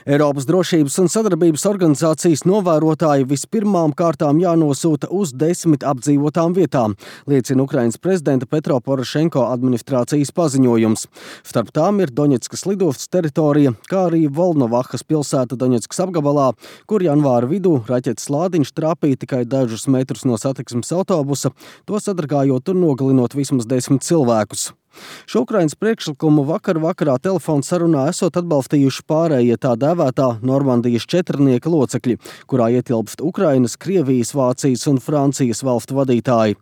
Eiropas drošības un sadarbības organizācijas novērotāji vispirmām kārtām jānosūta uz 10 apdzīvotām vietām, liecina Ukrainas prezidenta Petro Porošenko administrācijas paziņojums. Starp tām ir Doņetskas lidostas teritorija, kā arī Volnovahas pilsēta Doņetskas apgabalā, kur janvāra vidū raķetes lādiņš trāpīja tikai dažus metrus no satiksmes autobusa, to sadragājot un nogalinot vismaz 10 cilvēkus. Šo Ukrainas priekšlikumu vakarā telefona sarunā esot atbalstījuši pārējie tā dēvētā Normandijas četrnieka locekļi, kurā ietilpst Ukrainas, Krievijas, Vācijas un Francijas valstu vadītāji.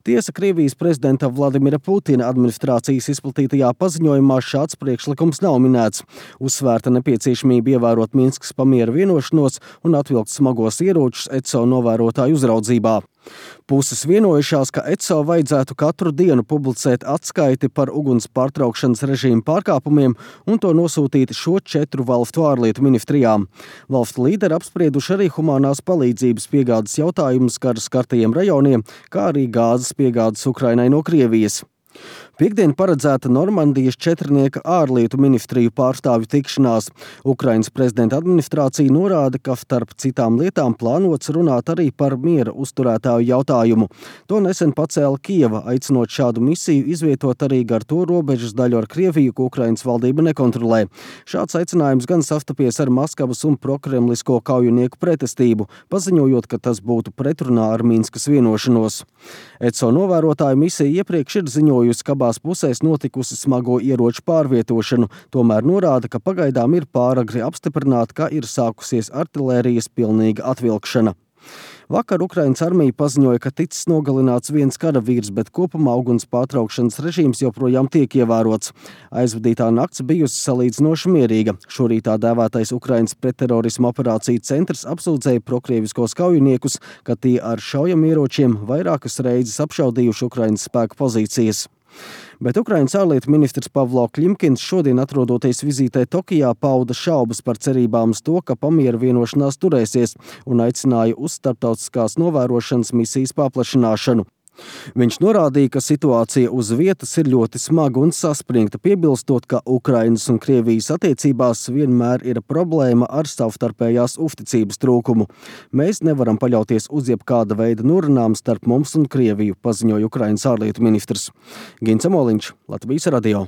Tiesa Krievijas prezidenta Vladimira Putina administrācijas izplatītajā paziņojumā šāds priekšlikums nav minēts. Uzsvērta nepieciešamība ievērot Minskas pamiera vienošanos un atvilkt smagos ieročus ECO novērotāju uzraudzībā. Puses vienojušās, ka ECO vajadzētu katru dienu publicēt atskaiti par uguns pārtraukšanas režīmu pārkāpumiem un to nosūtīt šo 4 valstu ārlietu ministrijām. Valstu līderi apsprieduši arī humanās palīdzības piegādes jautājumus karu skartajiem rajoniem, kā arī gāzes piegādes Ukrainai no Krievijas. Piektdien paredzēta Normandijas četrnieka ārlietu ministriju pārstāvju tikšanās. Ukrainas prezidenta administrācija norāda, ka starp citām lietām plānots runāt arī par miera uzturētāju jautājumu. To nesen pacēla Kijeva, aicinot šādu misiju izvietot arī gar to robežas daļu ar Krieviju, ko Ukrainas valdība nekontrolē. Šāds aicinājums gan sastapies ar Maskavas un prokremlisko kaujinieku pretestību, paziņojot, ka tas būtu pretrunā ar Minskas vienošanos. ECO novērotāju misija iepriekš ir ziņojusi, ka abās pusēs notikusi smago ieroču pārvietošanu, tomēr norāda, ka pagaidām ir pāragri apstiprināt, ka ir sākusies artilērijas pilnīga atvilkšana. Vakar Ukrainas armija paziņoja, ka ticis nogalināts viens karavīrs, bet kopumā uguns pārtraukšanas režīms joprojām tiek ievērots. Aizvadītā nakts bijusi salīdzinoši mierīga. Šorīt tā dēvētais Ukrainas pretterorisma operāciju centrs apsūdzēja prokrieviskos kaujiniekus, ka tie ar šaujamieročiem vairākas reizes apšaudījuši Ukrainas spēku pozīcijas. Bet Ukrainas ārlietu ministrs Pavlo Klimkins šodien atrodoties vizītē Tokijā pauda šaubas par cerībām uz to, ka pamiera vienošanās turēsies un aicināja uz starptautiskās novērošanas misijas paplašināšanu. Viņš norādīja, ka situācija uz vietas ir ļoti smaga un saspringta, piebilstot, ka Ukrainas un Krievijas attiecībās vienmēr ir problēma ar savstarpējās uzticības trūkumu. Mēs nevaram paļauties uz jebkāda veida norunām starp mums un Krieviju, paziņoja Ukrainas ārlietu ministrs. Gins Amoliņš, Latvijas radio.